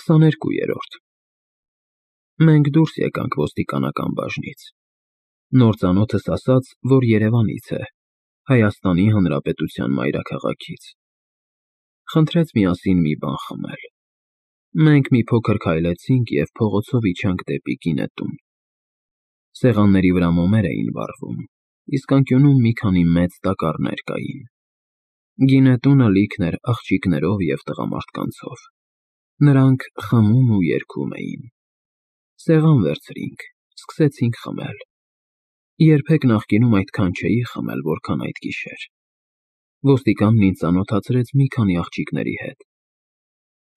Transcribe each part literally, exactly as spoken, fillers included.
քսաներկուերորդ Մենք դուրս եկանք ոստիկանական բաժնից։ Նոր ծանոթս ասաց, որ Երևանից է, Հայաստանի Հանրապետության մայրաքաղաքից։ Խնդրեց միասին մի բան խմել։ Մենք մի փոքր քայլեցինք և փողոցով իջանք դեպի գինետուն։ Սեղանների վրա մոմեր էին վառվում, իսկ անկյունում մի քանի մեծ տակառներ կային։ Գինետունը լիքն էր աղջիկներով և տղամարդկանցով։ Նրանք խմում ու երգում էին։ Սեղան վերցրինք, սկսեցինք խմել։ Երբեք նախկինում այդքան չէի խմել, որքան այդ գիշեր։ Ոստիկանն ինձ ծանոթացրեց մի քանի աղջիկների հետ։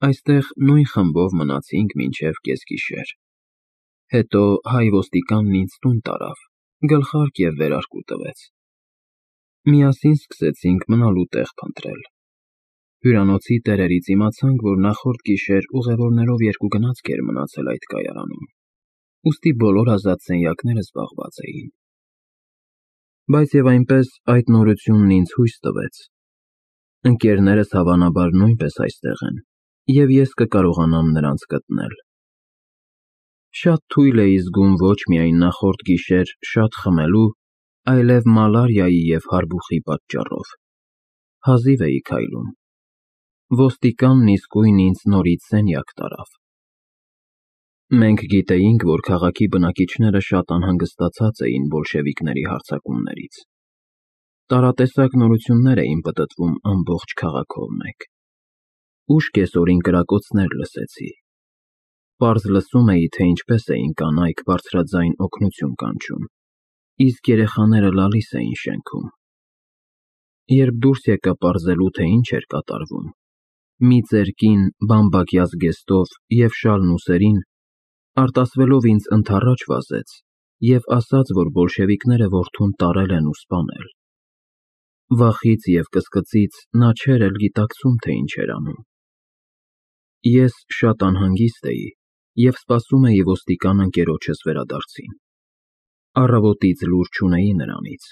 Այստեղ նույն խմբով մնացինք մինչև կեսգիշեր։ Հետո հայ ոստիկանն ինձ տուն տարավ, գլխարկ և վերարկու տվեց։ Միասին սկսեցինք մնալու տեղ փնտրել։ Հյուրանոցի տերերից իմացանք, որ նախորդ գիշեր ուղևորներով երկու գնացք էր մնացել այդ կայարանում, ուստի բոլոր ազատ սենյակները զբաղված էին։ Բայց և այնպես այդ նորությունն ինձ հույս տվեց։ Ընկերներս հավանաբար նույնպես այստեղ են, և ես կկարողանամ նրանց գտնել։ Շատ թույլ էի զգում ոչ միայն նախորդ գիշեր շատ խմելու, այլև մալարիայի և հարբուխի պատճառով։ Հազիվ էի քայլում։ Ոստիկանն իսկույն ինձ նորից սենյակ տարավ։ Մենք գիտեինք, որ քաղաքի բնակիչները շատ անհանգստացած էին բոլշևիկների հարձակումներից։ Տարատեսակ նորություններ էին պտտվում ամբողջ քաղաքով մեկ։ Ուշ կեսօրին կրակոցներ լսեցի։ Պարզ լսում էի, թե ինչպես էին կանայք բարձրաձայն օգնություն կանչում, իսկ երեխաները լալիս էին շենքում։ Երբ դուրս եկա պարզելու, թե ինչ էր կատարվում, մի ծեր կին բամբակյա զգեստով և շալն ուսերին, արտասվելով ինձ ընդառաջ վազեց և ասաց, որ բոլշևիկները որդուն տարել են ու սպանել։ Վախից և կսկծից նա չէր էլ գիտակցում, թե ինչ էր անում։ Ես շատ անհանգիստ էի և սպասում էի ոստիկան ընկերոջս վերադարձին։ Առավոտից լուր չունեի նրանից։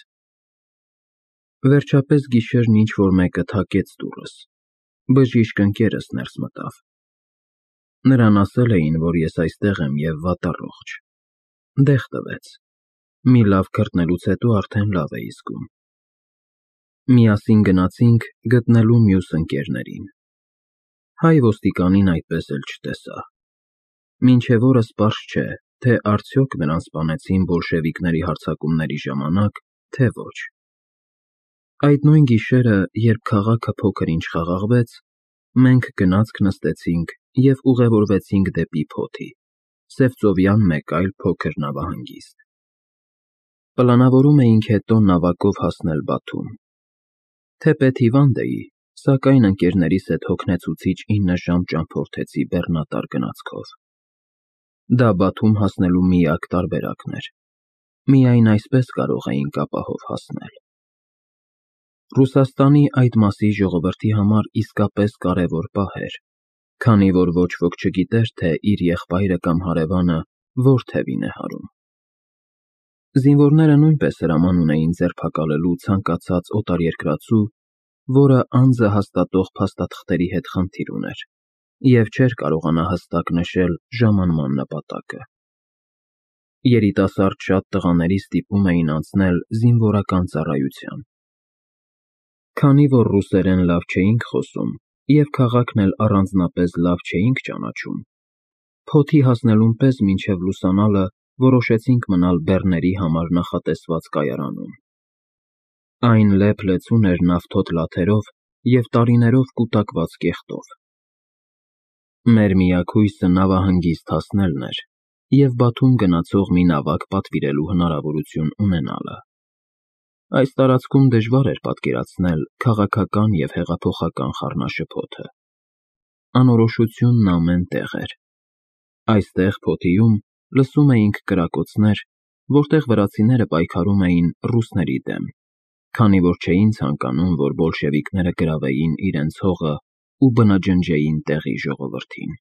Վերջապես գիշերն ինչ-որ մեկը թակեց դուռս, բժիշկ ընկերս ներս մտավ։ Նրան ասել էին, որ ես այստեղ եմ և վատառողջ։ Դեղ տվեց։ Մի լավ քրտնելուց հետո արդեն լավ էի զգում։ Միասին գնացինք գտնելու մյուս ընկերներին։ Հայ ոստիկանին այդպես էլ չտեսա։ Մինչև օրս պարզ չէ, թե արդյոք նրան սպանեցին բոլշևիկների հարձակումների ժամանակ, թե ոչ։ Այդ նույն գիշերը, երբ քաղաքը փոքր-ինչ խաղաղվեց, մենք գնացք նստեցինք և ուղևորվեցինք դեպի Փոթի, Սևծովյան մեկ այլ փոքր նավահանգիստ։ Պլանավորում էինք հետո նավակով հասնել Բաթում։ Թեպետ հիվանդ էի, սակայն ընկերներիս հետ հոգնեցուցիչ ինը ժամ ճամփորդեցի բեռնատար գնացքով։ Դա Բաթում հասնելու միակ տարբերակն էր։ Միայն այսպես կարող էինք ապահով հասնել։ Ռուսաստանի այդ մասի ժողովրդի համար իսկապես կարևոր պահ էր, քանի որ ոչ ոք չգիտեր, թե իր եղբայրը կամ հարևանը որ թևին է հարում։ Զինվորները նույնպես հրաման ունեին ձերբակալելու ցանկացած օտարերկրացու, որը անձը հաստատող փաստաթղթերի հետ խնդիր ուներ և չէր կարողանա հստակ նշել ժամանման նպատակը։ Երիտասարդ շատ տղաների ստիպում էին անցնել զինվորական ծառայության։ Քանի որ ռուսերեն լավ չէինք խոսում և քաղաքն էլ առանձնապես լավ չէինք ճանաչում, Փոթի հասնելուն պես մինչև լուսանալը որոշեցինք մնալ բեռների համար նախատեսված կայարանում։ Այն լեփ-լեցուն էր նավթոտ լաթերով և տարիներով կուտակված կեղտով։ Մեր միակ հույսը նավահանգիստ հասնելն էր և Բաթում գնացող մի նավակ պատվիրելու հնարավորություն ունենալը։ Այս տարածքում դժվար էր պատկերացնել քաղաքական և հեղափոխական խառնաշփոթը։ Անորոշությունն ամեն տեղ էր։ Այստեղ Փոթիում լսում էինք կրակոցներ, որտեղ վրացիները պայքարում էին ռուսների դեմ, քանի որ չէին ցանկանում, որ բոլշևիկները գրավեին իրենց հողն ու բնաջնջեին տեղի ժողովրդին։